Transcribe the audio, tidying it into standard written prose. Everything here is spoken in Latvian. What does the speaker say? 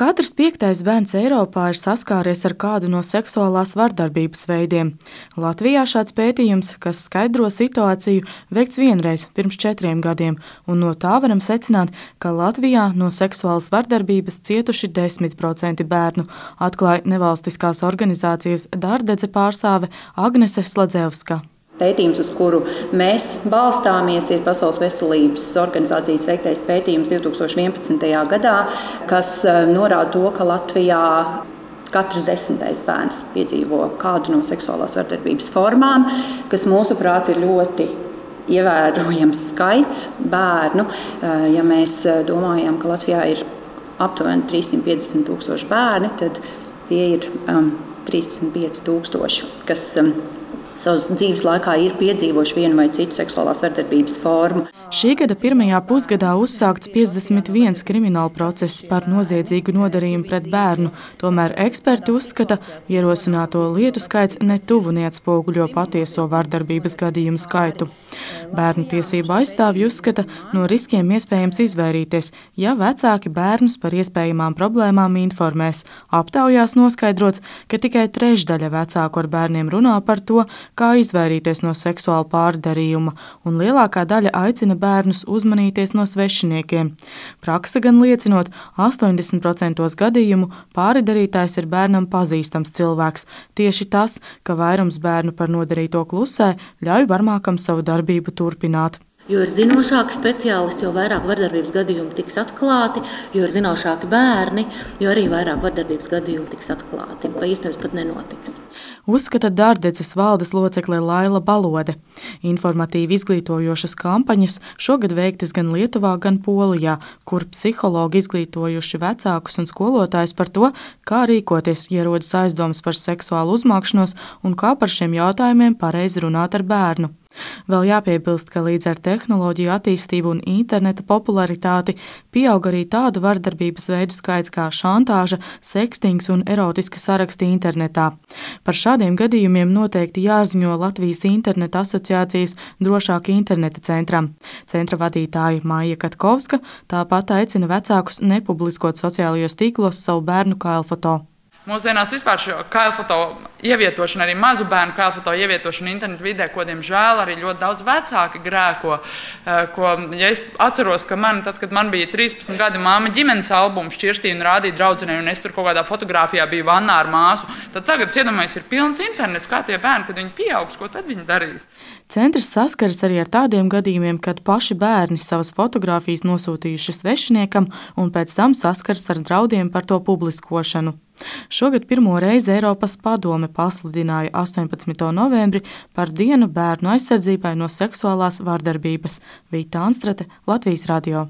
Katrs 5. bērns Eiropā ir saskāries ar kādu no seksuālās vardarbības veidiem. Latvijā šāds pētījums, kas skaidro situāciju, veikts vienreiz pirms 4 gadiem, un no tā varam secināt, ka Latvijā no seksuālas vardarbības cietuši 10% bērnu, atklāja nevalstiskās organizācijas Dārdedze pārstāve Agnese Sladzevska. Pētījums, uz kuru mēs balstāmies, ir Pasaules veselības organizācijas veiktais pētījums 2011. gadā, kas norāda to, ka Latvijā katrs 10. bērns piedzīvo kādu no seksuālās vardarbības formām, kas mūsuprāt ir ļoti ievērojams skaits bērnu. Ja mēs domājam, ka Latvijā ir aptuveni 350,000 bērni, tad tie ir 35,000, kas savas dzīves laikā ir piedzīvojuši vienu vai citu seksuālās vardarbības formu. Šī gada pirmajā pusgadā uzsākts 51 krimināla process par noziedzīgu nodarījumu pret bērnu, tomēr eksperti uzskata, ierosināto lietu skaits netuvu neatspoguļo patieso vardarbības gadījumu skaitu. Bērnu tiesību aizstāvji uzskata, no riskiem iespējams izvairīties, ja vecāki bērnus par iespējamām problēmām informēs. Aptaujās noskaidrots, ka tikai trešdaļa vecāku ar bērniem runā par to, kā izvairīties no seksuāla pārdarījuma, un lielākā daļa aicina bērnus uzmanīties no svešiniekiem. Prakse gan liecinot, 80% gadījumu pārdarītājs ir bērnam pazīstams cilvēks. Tieši tas, ka vairums bērnu par nodarīto klusē, ļauj varmākam savu darbību turpināt. Jo ir zinošāki speciālisti, jo vairāk vardarbības gadījumu tiks atklāti, jo ir zinošāki bērni, jo arī vairāk vardarbības gadījumu tiks atklāti, vai iespējams pat nenotiks. Uzskata Dārdedzes valdes locekle Laila Balode. Informatīvi izglītojošas kampaņas šogad veiktas gan Lietuvā, gan Polijā, kur psihologi izglītojuši vecākus un skolotājus par to, kā rīkoties, ja rodas aizdomas par seksuālu uzmākšanos un kā par šiem jautājumiem pareizi runāt ar bērnu. Vēl jāpiebilst, ka līdz ar tehnoloģiju attīstību un interneta popularitāti pieaug arī tādu vardarbības veidu skaits kā šantāža, sekstings un erotiski saraksti internetā. Par šādiem gadījumiem noteikti jāziņo Latvijas interneta asociācijas Drošāka interneta centram. Centra vadītāja Maija Katkovska tāpat aicina vecākus nepubliskot sociālajos tīklos savu bērnu kailfoto. Mūsdienās vispār šo kailfoto ievietošanu, arī mazu bērnu kailfoto ievietošanu internetu vidē, ko, diemžēl, arī ļoti daudz vecāki grēko. Ja es atceros, ka tad, kad man bija 13 gadi, māma ģimenes albumu šķirstīja un rādīja draudzenei, un es tur kaut kādā fotogrāfijā biju vannā ar māsu, tad tagad, iedomājies, ir pilns internets, kā tie bērni, kad viņi pieaugs, ko tad viņi darīs? Centrs saskaras arī ar tādiem gadījumiem, kad paši bērni savas fotogrāfijas nosūtījuši svešiniekam un pēc tam saskaras ar draudiem par to publiskošanu. Šogad pirmo reizi Eiropas padome pasludināja 18. novembri par dienu bērnu aizsardzībai no seksuālās vardarbības. Vīta Anstrate, Latvijas radio.